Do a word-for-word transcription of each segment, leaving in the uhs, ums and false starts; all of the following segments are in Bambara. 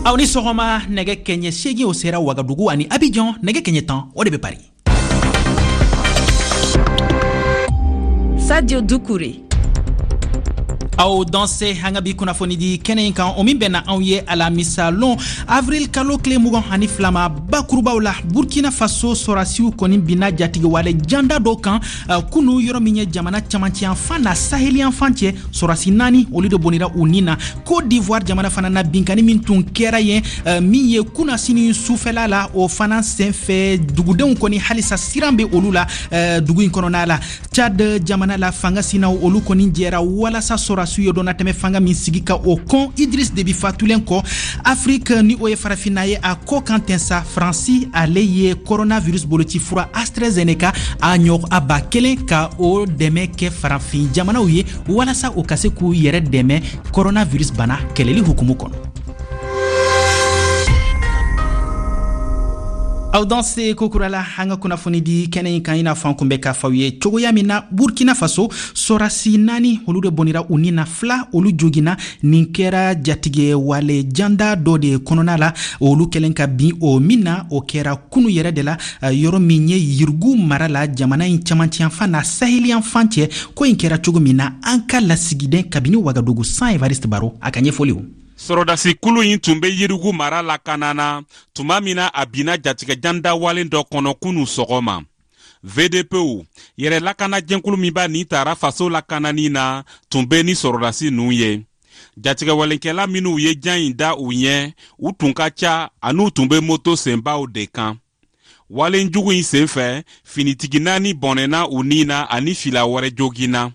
Aw ni sɔgɔma. Nɛgɛ kɛɲɛ seegin o sera Wagadugu ani Abidjan, nɛgɛ kɛɲɛ tan o de bɛ Paris. Sadio Doucouré. Aw danse. An ka bi kunnafoni di kɛnɛ in kan, o min bɛnna anw ye alamisa lon, avril kalo tile mugan ani fila ma, bakurubaw la, Burkina Faso sɔrasiw kɔni binna jatigiwale janda dɔ kan uh, kunu, yɔrɔ min ye jamana camancɛyanfan na saheliyanfan cɛ. Sɔrasi naani, olu de bɔnira u nin na. Côte d'Ivoire jamana fana na, binkani min tun kɛra yen uh, min ye kunnasini sufɛla la, o fana senfɛ, dugudenw kɔni halisa siran bɛ olu la uh, dugu in kɔnɔna la. Tchad jamana la, fanga sinaw olu kɔni jɛra walasa sɔrasiw ye dɔnnatɛmɛ fanga min sigi ka o kɔn Idris Debi fatulen kɔ. Afrique, ni o ye farafinna ye, a kɔ kan tɛnsa, Faransi ale ye coronavirus boloci fura AstraZeneca a ɲɔgɔn a ba kelen ka o dɛmɛ kɛ farafin jamanaw ye, walasa o ka se k'u yɛrɛ dɛmɛ coronavirus bana kɛlɛli hukumu kɔnɔ. Aw danse kokurala. An ka kunnafoni di kɛnɛ in kan, i n'a fɔ an kun bɛ k'a fɔ aw ye cogoya min na, Burkina Faso sɔrasi naani, olu de bɔnira u ni na, fila olu jogina. Nin kɛra jatigɛ wale janda dɔ de kɔnɔna la, olu kɛlen ka bin o min na. O kɛra kunu yɛrɛ de la, yɔrɔ min ye Yirgu mara la, jamana in camancɛyanfan na saheliyanfan cɛ. Ko in kɛra cogo min na, an ka lasigiden kabini Wagadugu, San Evariste Baro, a ka ɲɛfɔliw. Sɔrɔdasi kulu in tun bɛ Yirigu mara lakana na tuma min na a binna jatigɛ jandawalen dɔ kɔnɔ kunu sɔgɔma. V D Pw, yɛrɛ lakana jɛnkulu min b'a nin tara faso lakanani na, tun bɛ ni sɔrɔdasi ninnu ye. Jatigɛwalenkɛla minnu ye jan in da u ɲɛ, u tun ka ca an'u tun bɛ moto senbaw de kan. Walenjugu in senfɛ, finitigi naani bɔnɛna u ni na ani fila wɛrɛ joginna.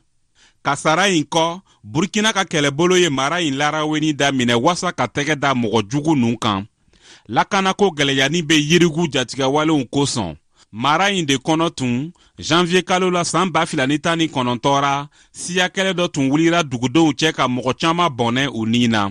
Kasara in kɔ, Burkina ka kɛlɛbolo ye mara in laraweni daminɛ wasa ka tɛgɛ da mɔgɔ jugu ninnu kan. Lakanako gwɛlɛyani bɛ Yirigu jatigɛwalenw kosɔn mara in de kɔnɔ tun. Janvier kalo la san ba fila ni tan ni kɔnɔntɔn ra, siya kɛlɛ dɔ tun wulira dugudenw cɛ ka mɔgɔ caaman bɔnɛ u ni na.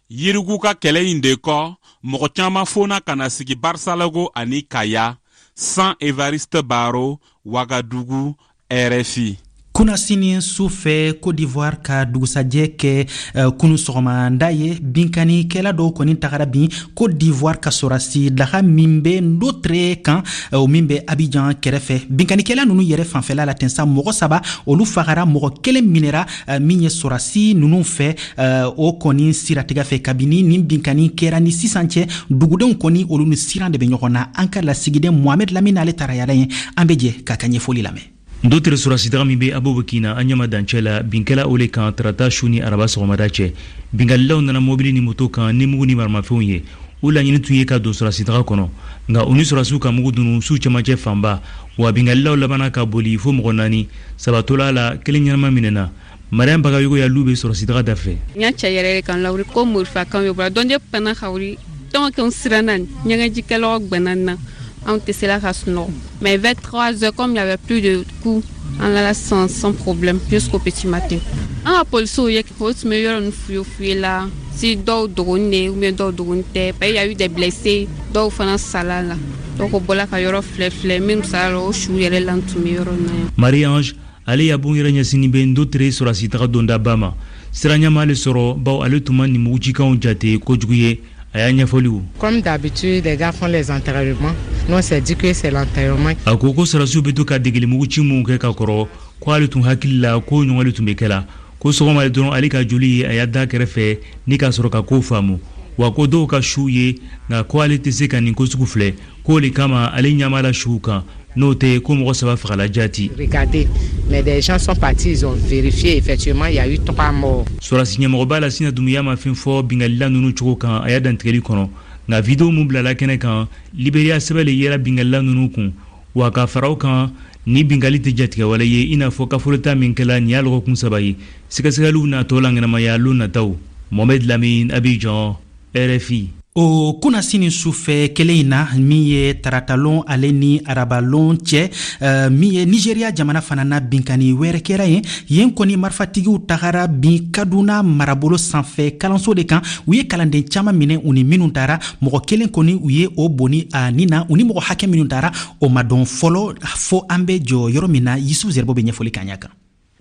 Yirigu ka kɛlɛ in de kɔ, mɔgɔ caaman fona ka na sigi Barisalogo ani Kaya. San Evariste Baro, Wagadugu, R F I. Kunnasini su fɛ, Côte d'Ivoire ka dugusajɛ kɛ uh, kunu sɔgɔmada ye, binkanikɛla dɔw kɔni tagara bin Côte d'Ivoire ka sɔrasi daga min bɛ Ndotre kan, o uh, min bɛ Abidjan kɛrɛfɛ. Binkanikɛla nunu yɛrɛ fanfɛla la ten sa, mɔgɔ saba olu fagara, mɔgɔ kelen minɛra uh, min ye sɔrasi nunu fɛ uh, o kɔni siratigɛ fɛ. Kabini nin binkani kɛra ni sisan cɛ, dugudenw kɔni olu ni siran de bɛ ɲɔgɔn na. An ka lasigiden Mohamed Lamine, ale taara yala ye, an bɛ jɛ k'a ka ɲɛfɔli lamɛn. Ndotere sɔrɔsidaga min bɛ Abobokina an ɲama dancɛ la, binkɛla o le kan tarata su ni araba sɔgɔmada cɛ. Binkalilaw nana mobili ni moto kan ni mugu ni maramafɛnw ye. U laɲini tun ye ka don sɔrɔsidaga kɔnɔ, nka u ni sɔrɔsiw ka mugu dunu su cɛmancɛ fanba wa. Binkalilaw labanna ka boli fo mɔgɔ naani, saba tola la, kelen ɲɛnama minɛna. Mariam Bagayogo ya lu bɛ sɔrɔsidaga da fɛ. N y'a cɛ yɛrɛ kan lawuli ko morifakan bɛ bɔra dɔn de panna ka wuli tɔn kɛ siranna ɲɛgɛnjikɛlaw gbɛnna na, anw tɛ se la ka sunɔgɔ. Mais vers trois heures, comme il n'y avait plus de coups, an lala sans, sans problème jusqu'au petit matin. An ka polisiw ye, o tun bɛ yɔrɔ ninnu fuye fuye la si dɔw dogoni de ou bien dɔw dogoni tɛ, parce qu'il y a eu des blessés, dɔw fana sala la. Donc o bɔla ka yɔrɔ filɛ filɛ, minnu sala la, o su yɛrɛ la tun bɛ yɔrɔ in na yan. Marie Ange, ale ya bon yɛrɛ ɲɛsinin bɛ Ndotere sɔrɔsi dondaba ma. Sira ɲama ale sɔrɔ, bawo ale tun ma nin mugucikanw jate kojugu ye. A y'a ɲɛfɔliw. Comme d'habitude, les gars font les entraînements. Nous, on s'est dit que c'est l'entraînement. A ko ko sɔrɔsiw bɛ to ka degeli muguci minw kɛ ka kɔrɔ, ko ale tun hakili la ko ɲɔgɔn de tun bɛ kɛ la. Ko sɔgɔma dɔrɔn, ale ka joli ye a y'a da kɛrɛfɛ ni k'a sɔrɔ ka ko faamu wa, ko dɔw ka su ye, nka ko ale tɛ se ka nin ko sugu filɛ, k'o le kama ale ɲɛ la suw kan. N'o tɛ, ko mɔgɔ saba fagala jaati. Regardez, mais des gens sont partis, ils ont vérifié, effectivement, il y a eu trois morts. Sɔrɔsi ɲɛmɔgɔba la Sina Dumuya ma fɛn fɔ bingalila ninnu cogo kan a y'a dantigɛli kɔnɔ, nka vidéo mun bilala kɛnɛ kan, Liberiya sɛbɛn le yera bingalila ninnu kun wa. Ka fara o kan, ni bingali tɛ jatigɛwale ye, i n'a fɔ kafolota min kɛla nin y'a lɔgɔkun saba ye. Sɛgɛsɛgɛliw natɔ la ŋɛnamaya lon nataw. Mohamed Lamine, Abidjan, R F I. O kunnasini sufɛ kelen in na, min ye taratalon ale ni arabalon cɛ, uh, min ye Nigeriya jamana fana na, binkani wɛrɛ kɛra yen. Yen kɔni, marifatigiw tagara bin Kaduna marabolo sanfɛ kalanso de kan. U ye kalanden caaman minɛ, u ni minnu taara, mɔgɔ kelen kɔni, u ye o bonni a nin na. U ni mɔgɔ hakɛ minnu taara, o ma dɔn fɔlɔ. Fo an bɛ jɔ yɔrɔ min na, Yusuf Zerbo bɛ ɲɛfɔli k'an ɲa kan.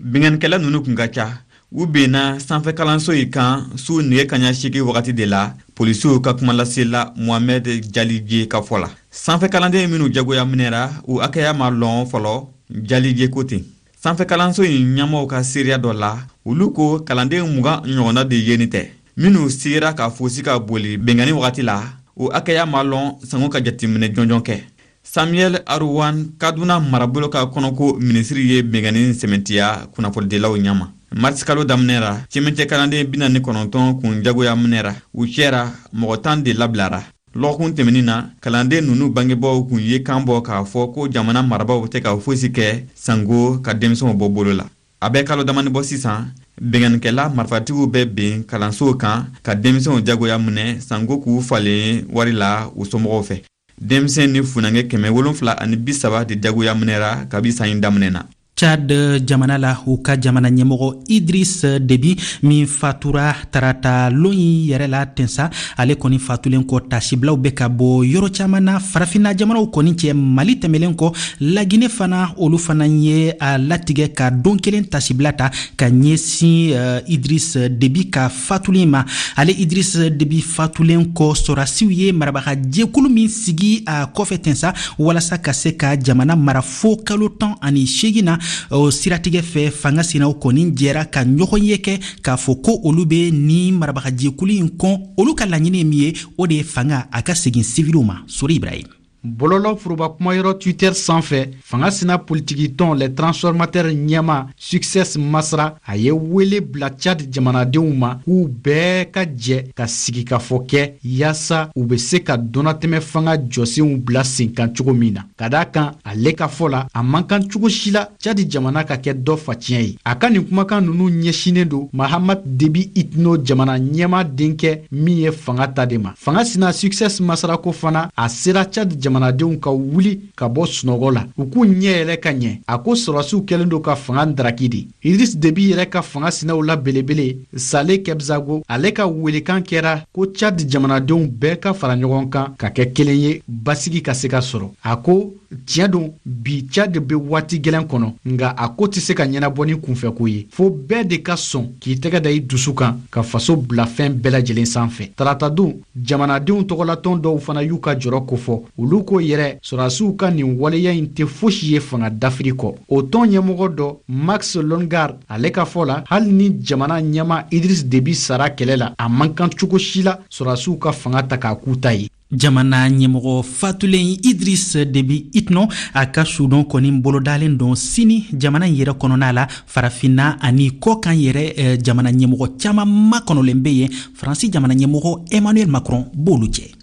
Binganikɛla ninnu kun ka ca. U benna sanfɛkalanso in kan su nɛgɛ kaɲa seegin wagati de la, polisiw ka kumalasela Mohamed Jalije ka fɔ la. Sanfɛkalanden minnu jagoya minɛra, u hakɛya ma lɔn fɔlɔ, Jalije ko ten. Sanfɛkalanso in ɲɛmɔgɔw ka seereya dɔ la, olu ko kalanden mugan ɲɔgɔnna de yeni tɛ. Minnu sera ka fosi ka boli benkanni wagati la, o hakɛya ma lɔn sango ka jateminɛ jɔnjɔn kɛ. Samuel Aruwan, Kaduna marabolo ka kɔnɔko minisiri, ye benkanni sɛmɛntiya kunnafonidilaw ɲɛma. Marisi kalo daminɛ la, cɛmancɛ kalanden bi naani kɔnɔntɔn kun jagoya minɛra. U cɛra, mɔgɔ tan de labilara. Lɔgɔkun tɛmɛnin na, kalanden ninnu bangebaaw kun ye kan bɔ k'a fɔ ko jamana marabaaw tɛ ka fosi kɛ sango ka denmisɛnw bɔ bolo la. A bɛ kalo damani bɔ sisan, benkannikɛla marifatigiw bɛ ben kalansow kan ka denmisɛnw jagoya minɛ sango k'u falen wari la u somɔgɔw fɛ. Denmisɛn ni funankɛ kɛmɛ wolonfila ani bi saba de jagoya minɛra kabi san in daminɛ na. Tchad jamana la, u ka jamana ɲɛmɔgɔ Idris Deby min fatura tarata lon in yɛrɛ la tensa, ale kɔni fatulen kɔ, tasibilaw bɛ ka bɔ yɔrɔ caman na farafinna jamanaw kɔni cɛ. Mali tɛmɛlen kɔ, Lagine fana, olu fana ye a latigɛ ka don kelen tasibila ta ka ɲɛsin uh, Idris Deby ka fatulen ma. Ale Idris Deby fatulen kɔ, sɔrasiw ye marabaga jɛkulu min sigi a kɔfɛ tensa walasa ka se ka jamana mara fo kalo tan ani seegin na, o siratigɛ fɛ, fanga sinaw kɔni jɛra ka ɲɔgɔn ye kɛ k'a fɔ ko olu bɛ ni marabagajɛkulu in kɔn. Olu ka laɲini ye min ye, o de ye fanga a ka segin siviliw ma. Sori Ibrahim. Bɔlɔlɔ foroba kumayɔrɔ Twitter sanfɛ, fanga sina politikitɔn Les Transformateurs ɲɛma Succès Masra, a ye wele bila Tchad jamanadenw ma k'u bɛɛ ka jɛ ka sigikafɔ kɛ yaasa u bɛ se ka dɔnnatɛmɛ fanga jɔsenw bila sen kan cogo min na. Ka d'a kan, ale ka fɔ la, a man kan cogo si la Tchad jamana ka kɛ dɔ faciyɛn ye. A ka nin kumakan ninnu ɲɛsinnen don Mahamat Debi Itno, jamana ɲɛma denkɛ min ye fanga ta de ma. Fanga sina Succès Masra ko fana, a sera Tchad jamanadenw ka wuli ka bɔ sunɔgɔ la, u k'u ɲɛ yɛlɛ ka ɲɛ. A ko sɔrɔsiw kɛlen don ka fanga daraki de. Idris Debi yɛrɛ ka fanga sinaw la belebele Sale Kebzago, ale ka welekan kɛra ko Tchad jamanadenw bɛɛ ka fara ɲɔgɔn kan ka kɛ kelen ye, basigi ka se ka sɔrɔ. A ko tiɲɛ don, bi Tchad bɛ waati gɛlɛn kɔnɔ, nka a ko tɛ se ka ɲɛnabɔ ni kunfɛko ye, fo bɛɛ de ka sɔn k'i tɛgɛ da i dusu kan ka faso bila fɛn bɛɛ lajɛlen sanfɛ. Taratadon, jamanadenw tɔgɔlatɔn dɔw fana y'u ka jɔrɔ kofɔ. Olu ko yɛrɛ sɔrɔdasiw ka nin waleya in tɛ fosi ye fanga dafiri kɔ. O tɔn ɲɛmɔgɔ dɔ, Max Longard, ale ka fɔ la, hali ni jamana ɲɛma Idris Deby sara kɛlɛ la, a man kan cogo si la sɔrɔdasiw ka fanga ta k'a k'u ta ye. Jamana ɲɛmɔgɔ fatulen Idris Deby Itno, a ka sudon kɔni bolodalen don sini jamana in yɛrɛ kɔnɔna la. Farafinna ani kɔkan yɛrɛ, eh, jamana ɲɛmɔgɔ caman makɔnɔlen bɛ yen. Faransi jamana ɲɛmɔgɔ Emmanuel Macron b'olu cɛ.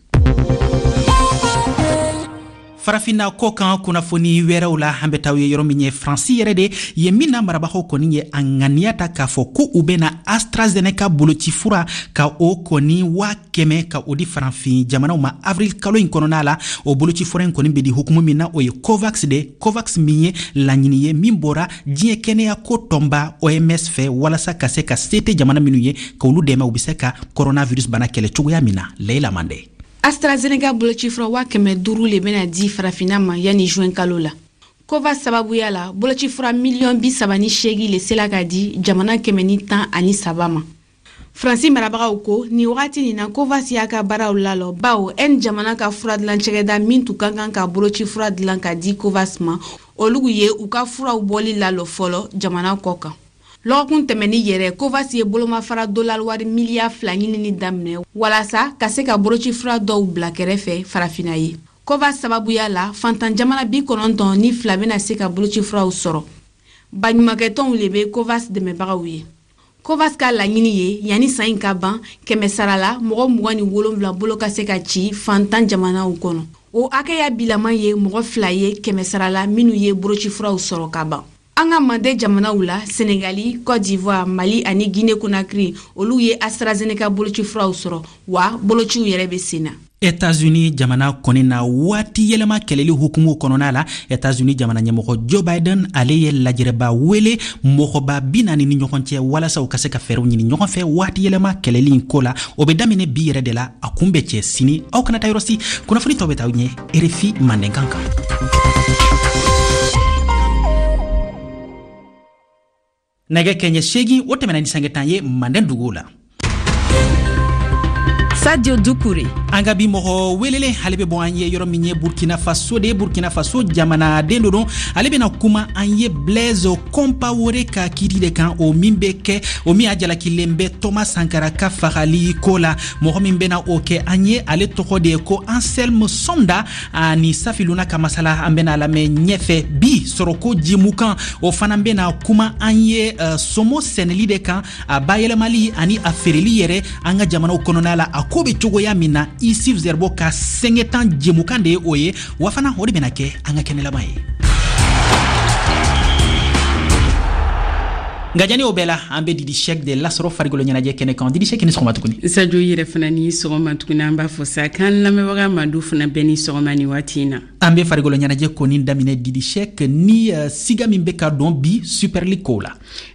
Farafinna kɔkan kunnafoni wɛrɛw la, an bɛ taa ye yɔrɔ min ye Faransi yɛrɛ de ye, min na marabagaw kɔni ye a ŋaniya ta k'a fɔ ko u bɛna AstraZeneca boloci fura ka o kɔni waa kɛmɛ ka o di farafin jamanaw ma avril kalo in kɔnɔna la. O boloci fura in kɔni bɛ di hukumu min na, o ye COVAX de. COVAX min ye laɲini ye min bɔra diɲɛ kɛnɛya ko tɔnba O M S fɛ, walasa ka se ka se tɛ jamana minnu ye, ka olu dɛmɛ u bɛ se ka coronavirus bana kɛlɛ cogoya min na. Leila Mande. AstraZeneca bolocifura waa kɛmɛ duuru le bɛna di farafinna ma yanni juin kalo la. COVAX sababuya la, bolocifura miliyɔn bi saba ni seegin le sela ka di jamana kɛmɛ ni tan ani saba ma. Faransi marabagaw ko nin wagati nin na, COVAX y'a ka baaraw lalɔ, bawo Inde jamana ka fura dilan cɛgɛda min tun ka kan ka bolocifura dilan ka di COVAX ma, olu ye u ka furaw bɔli lalɔ fɔlɔ jamana kɔ kan. Lɔgɔkun tɛmɛni yɛrɛ, COVAX ye bolomafara dolari wari miliyari fila ɲinini daminɛ walasa ka se ka bolocifura dɔw bila kɛrɛfɛ farafinna ye. COVAX sababuya la, fantan jamana bi kɔnɔntɔn ni fila bɛna se ka bolocifuraw sɔrɔ. Baɲumankɛtɔnw le bɛ COVAX dɛmɛbagaw ye. COVAX ka laɲini ye yanni san in ka ban, kɛmɛ sara la mɔgɔ mugan ni wolonwula bolo ka se ka ci fantan jamanaw kɔnɔ. O hakɛya bilaman ye mɔgɔ fila ye kɛmɛ sara la minnu ye bolocifuraw sɔrɔ ka ban. An ka mande jamanaw la, Senegali, Côte d'Ivoire, Mali ani Guinée Conakry, olu ye AstraZeneca bolocifuraw sɔrɔ, wa bolociw yɛrɛ bɛ sen na. Etats-Unis jamana kɔni na, waati yɛlɛma kɛlɛli hukumu kɔnɔna la, Etats-Unis jamana ɲɛmɔgɔ Joe Biden, ale ye lajɛrɛba wele mɔgɔba bi naani ni ɲɔgɔn cɛ walasa u ka se ka fɛɛrɛw ɲini ɲɔgɔn fɛ waati yɛlɛma kɛlɛli in ko la. O bɛ daminɛ bi yɛrɛ de la, a kun bɛ cɛ sini. Aw kana taa yɔrɔ si, kunnafoni tɔ bɛ taa aw ɲɛ R F I Mandenkan kan. Nɛgɛ kɛɲɛ seegin o tɛmɛna ni sange tan ye manden duguw la. Sadio Dukure. An ka bi mɔgɔ welelen, ale bɛ bɔ an ye yɔrɔ min ye Burkina Faso de ye. Burkina Faso jamanaden do don. Ale bɛna kuma an ye Blaise Compaoré ka kiri de kan, o min bɛ kɛ, o min a jalakilen bɛ Thomas Sankara ka fagali ko la. Mɔgɔ min bɛna o kɛ an ye, ale tɔgɔ de ye ko Anselme Somda. Ani Safi Luna ka masala, an bɛna lamɛn ɲɛfɛ. Bi sɔrɔko jimukan, o fana bɛna kuma an ye uh, somo sɛnɛli de kan, a bayɛlɛmali ani a feereli yɛrɛ an ka jamanaw kɔnɔna la, a ko bɛ cogoya min na. Isif Zerbo ka sɛngɛtan jɛmukan de ye o ye, wa fana o de bɛna kɛ an ka kɛnɛ laban ye. Nka jani o bɛɛ la, an bɛ Didi Sɛk de lasɔrɔ farikolo ɲɛnajɛ kɛnɛ kan. Didi Sɛk, ni sɔgɔma tuguni. Sajo, yɛrɛ fana ni sɔgɔma tuguni. An b'a fɔ sa k'an lamɛnbaga Madu fana bɛɛ ni sɔgɔma ni waati in na. An bɛ farikolo ɲɛnajɛ kɔni daminɛ, Didi Sɛk, ni uh, siga min bɛ ka dɔn bi Super League kow la.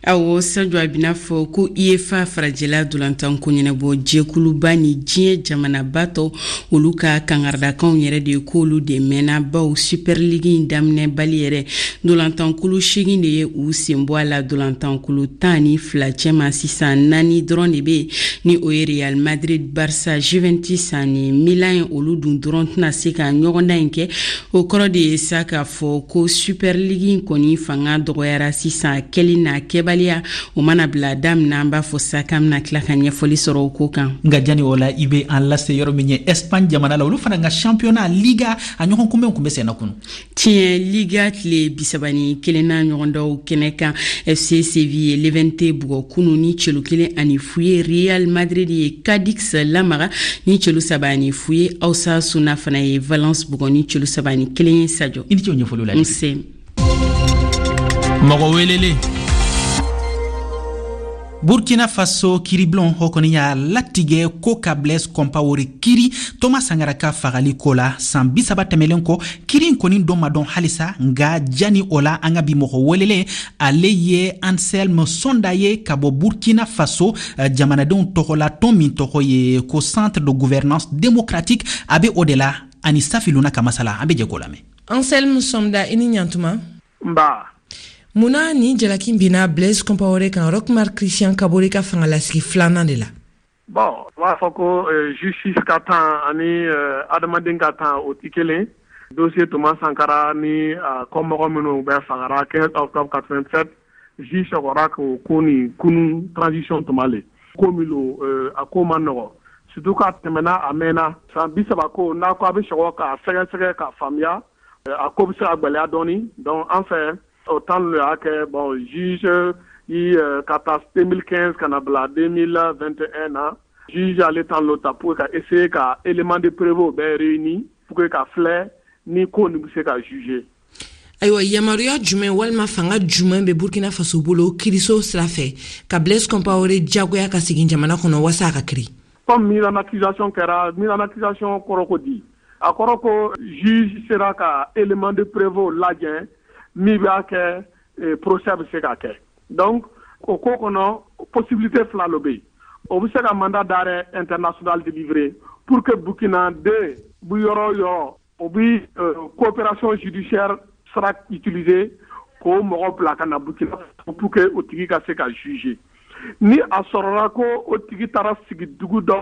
Awɔ Sajo, a bɛna fɔ ko UEFA farajɛla dolantanko ɲɛnabɔ jɛkuluba ni diɲɛ jamanaba tɔ, olu ka kangardakanw yɛrɛ de ye k'olu de mɛnna, baw Super League in daminɛbali yɛrɛ, dolantankulu seegin de ye u sen bɔ a la. Dolantankulu tan ni fila cɛma, sisan naani dɔrɔn de bɛ yen, ni o ye Real Madrid, Barça, Juventus ani Milan ye. Olu dun dɔrɔn tɛna se ka ɲɔgɔndan in kɛ. O kɔrɔ de ye sa k'a fɔ ko Super League in kɔni fanga dɔgɔyara sisan. Kɛli n'a kɛbaliya, o mana bila daminɛ, an b'a fɔ sa k'an bɛna tila ka ɲɛfɔli sɔrɔ o ko kan. Nka jani o la, i bɛ an lase yɔrɔ min ye Espagne jamana la, olu fana ka championnat Liga a ɲɔgɔn kunbɛn kun bɛ senna kunu. Tiɲɛ, Liga tile bisaba ni kelenna ɲɔgɔndaw kɛnɛ kan, F C Séville ye Levante bugɔ kunu ni celu kelen ani fu ye. Real Madrid ye Cadix lamaga ni celu saba ani fu ye. Osasuna fana ye Valence bugɔ ni celu saba ani kelen ye. Sadio, i ni ce o ɲɛfɔliw la. Nse. Mɔgɔ welelen. Burkina Faso kiribulon o kɔni y'a latigɛ ko ka Blaise Compaoré kiri Thomas Sankara ka fagali ko la san bi saba tɛmɛlen kɔ. Kiri in kɔni dɔn ma dɔn halisa. Nka jani o la, an ka bi mɔgɔ welelen, ale ye Anselme Somda ye ka bɔ Burkina Faso jamanadenw tɔgɔla tɔn min tɔgɔ ye ko Centre de gouvernance démocratique, a bɛ o de la. Ani Safi Luna ka masala, an bɛ jɛ k'o lamɛn. Anselme Somda, i ni ɲantuma. Nba. Munna ni jalaki binna Blaise Compaoré kan Roch Marc Christian Kabore ka fangalasigi filanan de la? Bon, u b'a fɔ ko justice ka temps ani adamaden ka temps, o ti kelen. Dossier Thomas Sankara ni kɔmɔgɔ minnu bɛ fagara quinze octobre quatre-vingt-sept, juge sɔgɔra k'o ko nin kunu transition tuma le. Ko min lo, a ko ma nɔgɔ, surtout k'a tɛmɛna a mɛnna san bi saba ko n'a ko a bɛ sɔgɔ k'a sɛgɛsɛgɛ k'a faamuya, a ko bɛ se ka gwɛlɛya dɔɔni. Donc an fɛ o temps le y'a kɛ, bon, juge yi ka taa deux mille quinze ka na bila deux mille vingt et un na, juge ale temps lo ta pour ka essayer ka élément de preuve bɛɛ réuni pour que ka filɛ ni ko nin bɛ se ka juger. Ayiwa, yamaruya jumɛn walima fanga jumɛn bɛ Burkina Faso bolo kiriso sira fɛ ka Blaise Compaoré jagoya ka segin jamana kɔnɔ waasa a ka kiri? Comme mise en accusation kɛra, mise en accusation kɔrɔ ko di? A kɔrɔ ko juge sera ka élément de preuve lajɛ min b'a kɛ procès bɛ se ka kɛ. Donc o ko kɔnɔ, possibilité fila lo bɛ yen. O bɛ se ka mandat d'arrêt international délivrer pour que Burkina den bi yɔrɔ o yɔrɔ, o bi coopération judiciaire sera utiliser k'o mɔgɔ bila ka na Burkina pour que o tigi ka se ka juger. Ni a sɔrɔla ko o tigi taara sigi dugu dɔ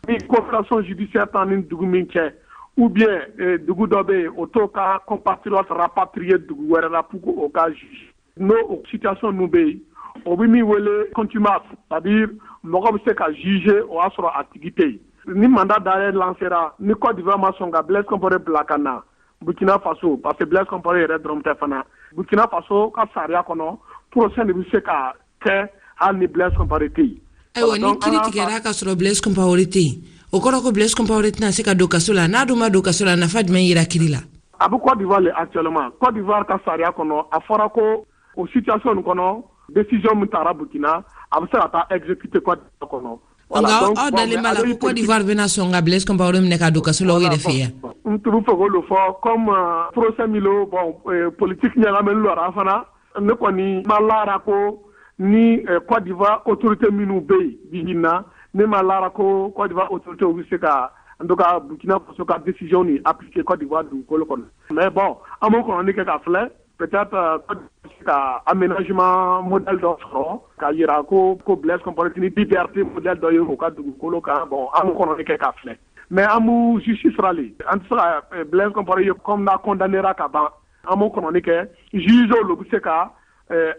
ni coopération judiciaire t'an ni dugu min cɛ, ou bien dugu dɔ bɛ yen, o t'o ka compatriote rapatrier dugu wɛrɛ la pour que o ka juger, n'o o situation ninnu bɛ yen, o bɛ min wele contumace, c'est-à-dire mɔgɔ bɛ se ka juger o y'a sɔrɔ a tigi tɛ yen. Ni mandat d'arrêt lancera, ni Côte d'Ivoire ma sɔn ka Blaise Compaoré bila ka na Burkina Faso, parce que Blaise Compaoré yɛrɛ dɔrɔn tɛ fana, Burkina Faso ka sariya kɔnɔ, procès de bɛ se ka kɛ hali ni Blaise Compaoré tɛ yen. Ayiwa, ni kiri tigɛra ka sɔrɔ Blaise Compaoré tɛ yen, o kɔrɔ ko Blaise Compaoré tɛna se ka don kaso la. N'a dun ma don kaso la, nafa jumɛn yira kiri la? A bɛ Côte d'Ivoire le actuellement. Côte d'Ivoire ka sariya kɔnɔ, a fɔra ko o situation nin kɔnɔ, décision min taara Burkina, a bɛ se ka taa exécuter Côte d'Ivoire kɔnɔ. Nka aw dalen b'a la ko Côte d'Ivoire bɛna sɔn ka Blaise Compaoré minɛ ka don kaso la o yɛrɛ fɛ yan? N tun bɛ fɛ k'o fɔ comme procès min lo, bon, politique ɲagaminen lo a fana. Ne kɔni ma lara ko ni Côte d'Ivoire autorité minnu bɛ yen bi in na, ne ma lara ko Côte d'Ivoire autorité bɛ se ka, en tout cas, Burkina Faso ka décision nin appliquer Côte d'Ivoire dugukolo kɔnɔ. Mais bon, an b'o kɔnɔni kɛ ka filɛ, peut-être Côte se ka aménagement modèle dɔ sɔrɔ k'a yira ko ko Blaise Compaoré ni liberté modèle dɔ ye u ka dugukolo kan. Bon, an b'o kɔnɔni kɛ k'a filɛ, mais an b'u justice ra le, an tɛ se ka Blaise Compaoré ye comme n'a condamnéra ka ban, an b'o kɔnɔni kɛ, juge olu bɛ se ka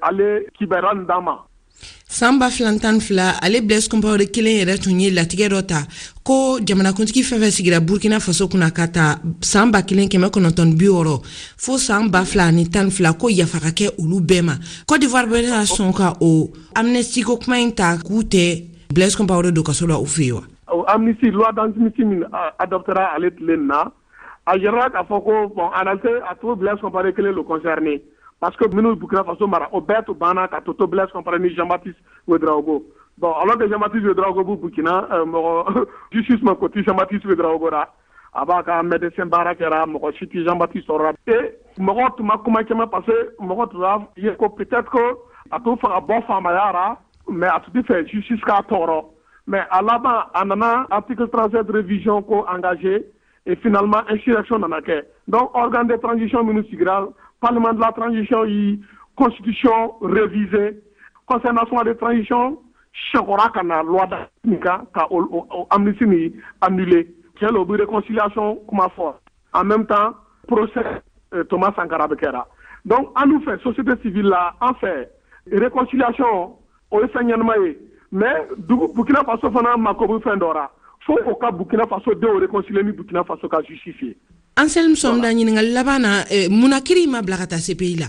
ale kibaruya nin d'an ma. San ba fila tan fila, ale Blaise Compaoré kelen yɛrɛ tun ye latigɛ dɔ ta ko jamanakuntigi fɛn fɛn sigira Burkina Faso kunna ka ta san ba kelen kɛmɛ kɔnɔntɔn bi wɔɔrɔ fo san ba fila ni tan fila, ko yafa ka kɛ olu bɛɛ ma. Côte d'Ivoire bɛna sɔn ka o amnistie ko kuma in ta k'u tɛ Blaise Compaoré don kaso la u fɛ yen wa? Amnistie, loi d'amnistie min adoptera ale tile nin na, a yɛrɛ k'a fɔ ko bon, en réalité, a to Blaise Compaoré kelen le concerné, parce que minnu Burkina Faso mara, o bɛɛ to banna ka to to Blaise Compaoré ni Jean-Baptiste Ouedraogo. Bon, alors que Jean-Baptiste Ouedraogo b'u Burkina, mɔgɔ justice ma ko ti Jean-Baptiste Ouedraogo ra, a b'a ka médecin baara kɛra, mɔgɔ si ti Jean-Baptiste sɔrɔra. Et mɔgɔ tun ma kuma caman, parce que mɔgɔ tun b'a ye ko peut-être que a t'o fɛ ka bɔ faamaya ra, mais a tun tɛ fɛ justice k'a tɔɔrɔ. Mais a laban, a nana article trente-sept révision ko engagé, et finalement insurrection nana kɛ. Donc organe de transition minnu sigira, parlement de la transition yi constitution révisée, conseil national de transition sɛkɔra ka na loi nin kan ka o amnistie nin annulé. Tiɲɛ la, o bɛ réconciliation kuma fɔ, en même temps procès Thomas Sankara bɛ kɛra. Donc an dun fɛ, société civile la, an fɛ réconciliation o ye fɛn ɲɛnama ye, mais dugu Burkina Faso fana mako bɛ fɛn dɔ ra, fo o ka Burkina Faso denw réconcilier ni Burkina Faso ka justice ye. Anselme Somda, ɲininkali laban na, munna kiri ma bila ka taa C P I la?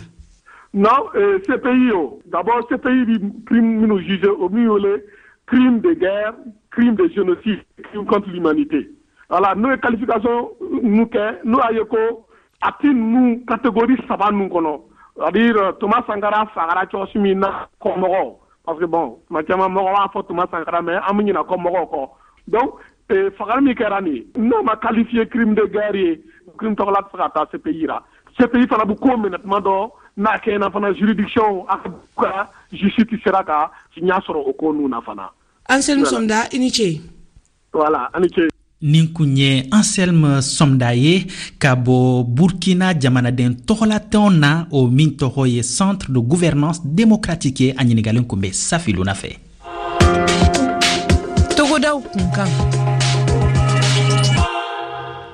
Non, euh, C P I o, d'abord C P I bi crime minnu jugé, o min wele crime de guerre, crime de génocide, crime contre l'humanité. Voilà, n'o ye qualification nu kɛ, n'o y'a ye ko a ti ninnu catégorie saba ninnu kɔnɔ, c'est-à-dire Thomas Sankara fagara cogo min na kɔmɔgɔw, parce que bon, tuma caman mɔgɔ b'a fɔ Thomas Sankara, mais an bɛ ɲinɛ kɔmɔgɔw kɔ. Donc fagali min kɛra nin ye, n'o ma qualifié crime de guerre ye, crime tɔgɔla tɛ se ka taa C P I la. C P I fana bɛ ko minɛ tuma dɔ n'a kɛɲɛna fana, juridiction a ka justice sera ka ɲɛ sɔrɔ o ko ninnu na fana. Anselme Somda, i ni ce. Voilà, a ni ce. Nin kun ye Anselme Somda ye ka bɔ Burkina jamanaden tɔgɔlatɔn na, o min tɔgɔ ye Centre de gouvernance démocratique ye. A ɲiningalen kun bɛ Safiluna fɛ. Togodaw kunkan.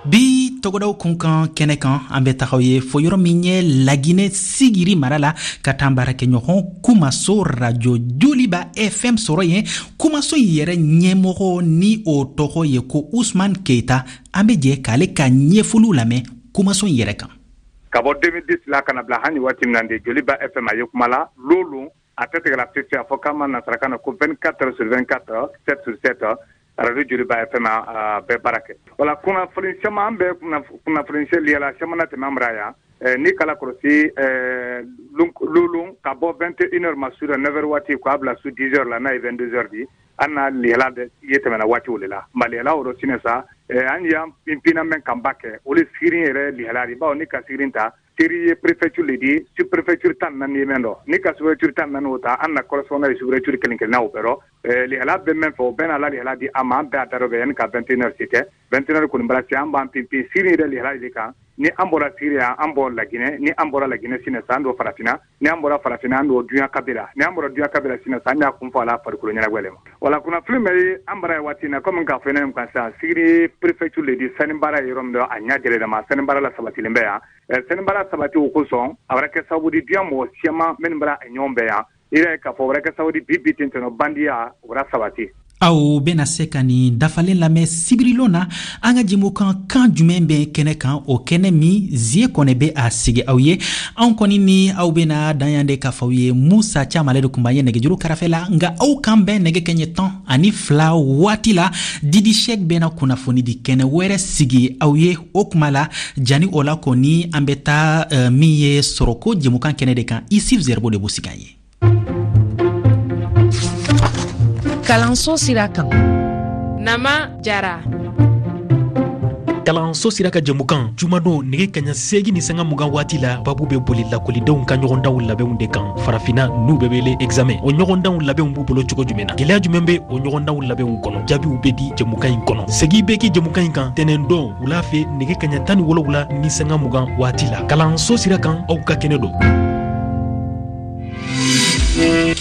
Bi togodaw kunkan kɛnɛ kan, an bɛ tagaw ye fo yɔrɔ min ye Laginɛ Sigiri mara la, ka taa baarakɛɲɔgɔn Kumaso Radio Joliba F M sɔrɔ yen. Kumaso in yɛrɛ ɲɛmɔgɔ ni o tɔgɔ ye ko Usman Keita. An bɛ jɛ k'ale ka ɲɛfɔliw lamɛn Kumaso in yɛrɛ kan. Ka bɔ deux mille dix la ka na bila hali waati min na de, Joliba F M a ye kuma la lolu, a tɛ tigɛla fiyewu. A fɔ k'an ma nansarakan na ko vingt-quatre sur vingt-quatre, sept sur sept, Radio Joliba F M a bɛɛ baara kɛ. Wala kunnafoni caman, an bɛ kunnafoni liyala caman na tɛmɛ an bara yan. Ni kala kɔlɔsi lolu, ka bɔ vingt et une heures ma su la, neuf heures waati, k'a bila su dix heures la, n'a ye vingt-deux heures di, an na liyala ye tɛmɛna waati o de la. Nka liyala o rɔ sinɛ sa, an y'an pinpinna mɛn kanba kɛ, o le sigirin yɛrɛ liyala di, bawo ni ka sigirin ta, seri ye préfecture le di, sous préfecture tan naani ye mɛn dɔ. Ni ka sous préfecture tan naani o ta, an na correspondant ye sous préfecture kelen kelenna o bɛɛ rɔ. Liyala bɛ mɛn fɛ, o bɛɛ n'a la liyala di a ma. An bɛɛ a da dɔ bɛ yanni ka vingt et une heures se kɛ. vingt et une heures kɔni bara se, an b'an pinpin siri yɛrɛ liyala de kan. Ni an bɔra Siri yan, an bɔ Laginɛ. Ni an bɔra Laginɛ sinɛ sa, an don Farafinna. Ni an bɔra Farafinna, an don duɲa kabila. Ni an bɔra duɲa kabila sinɛ sa, an y'a kun fɔ a la farikolo ɲɛnajɛ le ma. Wala kunnafoni bɛ an bara ye waati na, komi k'a fɔ ne kan sisan, Sigiri préfecture le di. Sani baara ye yɔrɔ min dɔ, a ɲɛ jɛlen ma, sani baara la sabatilen bɛ yan. Sani baara sabati o kosɔn, a bɛra kɛ sababu di duɲa mɔgɔ siyaman minnu bara ɲɔgɔn bɛɛ yan, i yɛrɛ ye k'a fɔ o bɛra kɛ sababu di bi bi ten tɔnɔ bandiya o bɛra sabati. Aw bena se ka nin dafalen lamɛn sibirilon na an ka jɛmukan Kan jumɛn bɛ kɛnɛ kan, o kɛnɛ min zie kɔnɛ bɛ a sigi aw ye. Anw kɔni ni aw bena dan yan de k'a fɔ aw ye. Musa Caman ale de kun b'an ye nɛgɛjuru karafɛ la. Nka aw kan bɛn nɛgɛ kɛɲɛ tan ani fila waati la, Didi Sɛk bena kunnafoni di kɛnɛ wɛrɛ sigi aw ye. O kuma la, jani o la kɔni, an bɛ taa uh, min ye sɔrɔko jɛmukan kɛnɛ de kan, Isif Zɛribo de b'o sigi an ye. Kalanso sira kan. Nama Jara. Kalanso sira ka jɛmukan, jumadon nɛgɛ kaɲa seegi ni sanga mugan waati la, babu bɛ boli lakɔlidenw ka ɲɔgɔndanw labɛnw de kan Farafina, n'u bɛ wele examen. O ɲɔgɔndanw labɛnw b'u bolo cogo jumɛn na? Gwɛlɛya jumɛn bɛ o ɲɔgɔndanw labɛnw kɔnɔ? Jaabiw bɛ di jɛmukan in kɔnɔ. Segi bɛ kɛ jɛmukan in kan tɛnɛndon wula fɛ nɛgɛ kaɲa tan ni wolonwula ni sanga mugan waati la. Kalanso sira kan, aw ka kɛnɛ don.